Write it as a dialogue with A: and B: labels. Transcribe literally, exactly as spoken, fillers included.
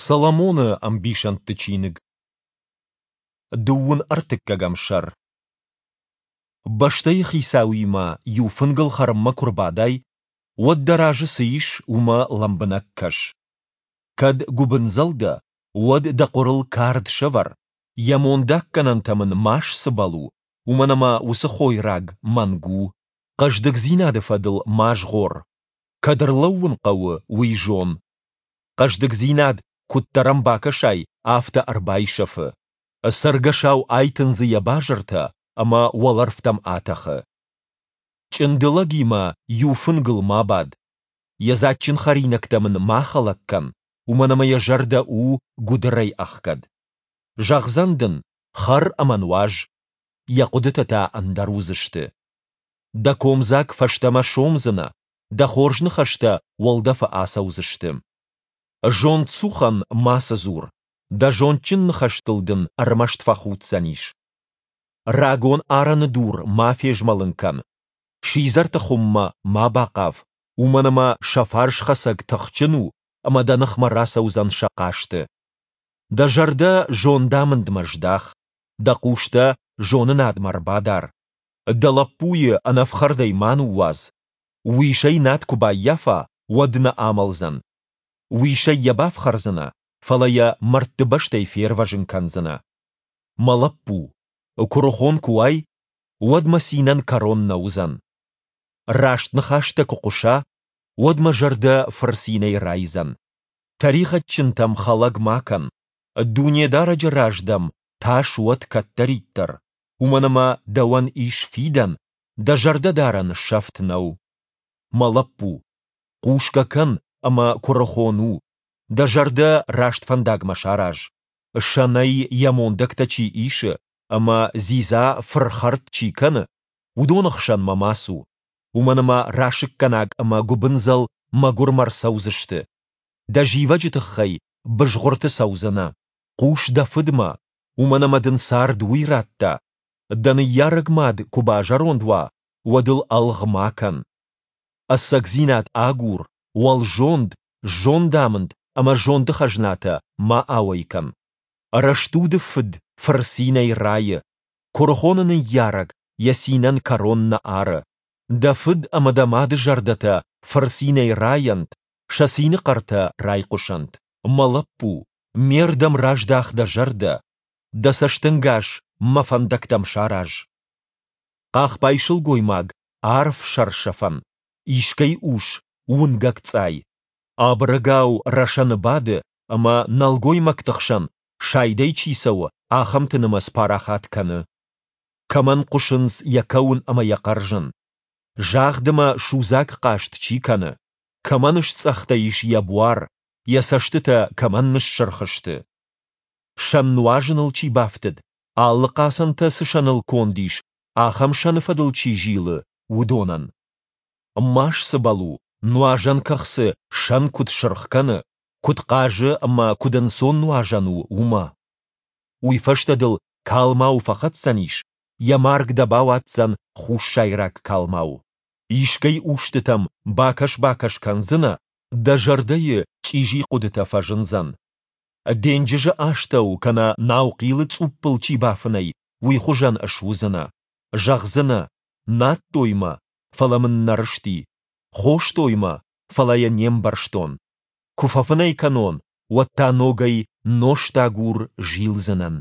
A: Соломоны ӕмбисӕндты чиныг, дыууын ӕртыккӕгӕм сӕр. Бӕстӕйы хицауимӕ иу фынгыл хӕрынмӕ куы рбадай, уӕд дӕ разы цы ис, уымӕ лӕмбынӕг кӕс. Кӕд гуыбындзӕл дӕ, уӕд дӕ хъуырыл кард сӕвӕр, йӕ мондаггӕнӕнтӕм ын ма сцыбӕл у, уымӕн ӕмӕ уыцы хойраг мӕнг у. Хъӕздыгдзинады фӕдыл ма згъор. Кӕд ӕрлӕууын хъӕуы, уый зон. Хъӕздыгдзинад, куыддӕр ӕм бакӕсай, афтӕ ӕрбайсӕфы. Цӕргӕсау айтындзы йӕ базыртӕ ӕмӕ уӕлӕрвтӕм атӕхы. Чъынды лӕгимӕ иу фынгыл ма бад. Йӕ дзаджджын хӕринӕгтӕм ын ма хӕлӕг кӕн, уымӕн ӕмӕ йӕ зӕрдӕ у гуыдырӕй ӕхгӕд. Зӕгъдзӕн дын, хӕр ӕмӕ нуаз, йӕ хъуыдытӕ та ӕндӕр уыдзысты. Дӕ комдзаг фӕстӕмӕ сомдзынӕ, дӕ хорз ныхӕстӕ уӕлдӕфы ацӕудзысты. Зондцухӕн мацы дзур, дӕ зондджын ныхӕстыл дын ӕрмӕст фӕхуддзӕнис. Рагон арӕны дур ма фезмӕлын кӕн, сидзӕрты хуыммӕ ма бахъав, уымӕн ӕмӕ сӕ фарсхӕцӕг тыхджын у ӕмӕ дӕ ныхмӕ рацӕудзӕн сӕ хъасты. Дӕ зӕрдӕ зондамындмӕ здах, дӕ хъустӕ зонынадмӕ рбадар. Дӕ лӕппуйы ӕнӕфхӕрдӕй ма ныууадз. Уисӕй над куы баййафа, уӕд нӕ амӕлдзӕн. Уисӕй йӕ бафхӕрдзынӕ, фӕлӕ йӕ мӕрдты бӕстӕй фервӕзын кӕндзынӕ. Мӕ лӕппу, куырыхон куы уай, уӕд мӕ цинӕн кӕрон нӕ уыдзӕн. Раст ныхӕстӕ куы хъуса, уӕд мӕ зӕрдӕ фырцинӕй райдзӕн. Тӕригъӕдджынтӕм хӕлӕг ма кӕн, Дунедарӕджы раз дӕм тас уӕд кӕддӕриддӕр, уымӕн ӕмӕ дӕуӕн ис фидӕн, дӕ зӕрдӕдарӕн сӕфт нӕу. Мӕ лӕппу, хъусгӕ кӕн ӕмӕ куырыхон у, дӕ зӕрдӕ раст фӕндагмӕ сараз. Сӕнӕй йӕ мондӕгтӕ чи исы ӕмӕ дзидза фырхӕрд чи кӕны, уыдоны хсӕнмӕ ма цу, уымӕн ӕмӕ расыггӕнаг ӕмӕ гуыбындзӕл мӕгуырмӕ рцӕудзысты. Дӕ зивӕджы тыххӕй бызгъуырты цӕудзынӕ. Хъус дӕ фыдмӕ, уымӕн ӕмӕ дын цард уый радта. Дӕ ныййарӕг мад куы базӕронд уа, уӕд ыл ӕлгъ ма кӕн. Ӕцӕгдзинад агур, уӕлзонд, зондамынд ӕмӕ зонды хӕзнатӕ ма ауӕй кӕн. Рӕстуды фыд фырцинӕй райы, куырыхоны ныййарӕг йӕ цинӕн кӕрон нӕ ары. Дӕ фыд ӕмӕ дӕ мады зӕрдӕтӕ фырцинӕй райӕнт, сӕ цины хъӕртӕ райхъуысӕнт. Мӕ лӕппу, ме рдӕм раздах дӕ зӕрдӕ, дӕ цӕстӕнгас мӕ фӕндӕгтӕм сараз. Хъахбай сылгоймаг арф сӕрсӕфӕн, искӕй ус уынгӕг цъай. Абырӕгау рӕсӕны бады ӕмӕ нӕлгоймӕгты хсӕн сайдӕй чи цӕуы, ахӕмты нымӕц парахат кӕны. Кӕмӕн хъуысынц йӕ кӕуын ӕмӕ йӕ хъӕрзын? Загъд ӕмӕ судзаг хъаст чи кӕны? Кӕмӕн сцъӕхтӕ ис йӕ буар, йӕ цӕстытӕ кӕмӕн ныссырх сты? Сӕн нуазыныл чи бафтыд, алы хъацӕнтӕ цы сӕныл конд ис, ахӕм сӕны фӕдыл чи зилы, уыдонӕн. Ма сцыбӕл у, нуазӕн кӕхцы сӕн куыд сырх кӕны, куыд хъазы ӕмӕ куыд ӕнцон нуазӕн у, уымӕ. Уый фӕстӕ дыл калмау фӕхӕцдзӕнис, йӕ марг дӕ бауадздзӕн хуссайраг калмау. Искӕй устытӕм бакӕс-бакӕс кӕндзынӕ, дӕ зӕрдӕйы чъизи хъуыдытӕ фӕзындзӕн. Денджызы астӕу кӕнӕ наухъилы цъуппыл чи бафынӕй, уый хуызӕн суыдзынӕ. Зӕгъдзынӕ, надтой мӕ, фӕлӕ мын нӕ рысти, хостой мӕ, фӕлӕ йӕ не мбӕрстон. Куы фӕфынӕй кӕнон, уӕд та ногӕй нозтагур зилдзынӕн.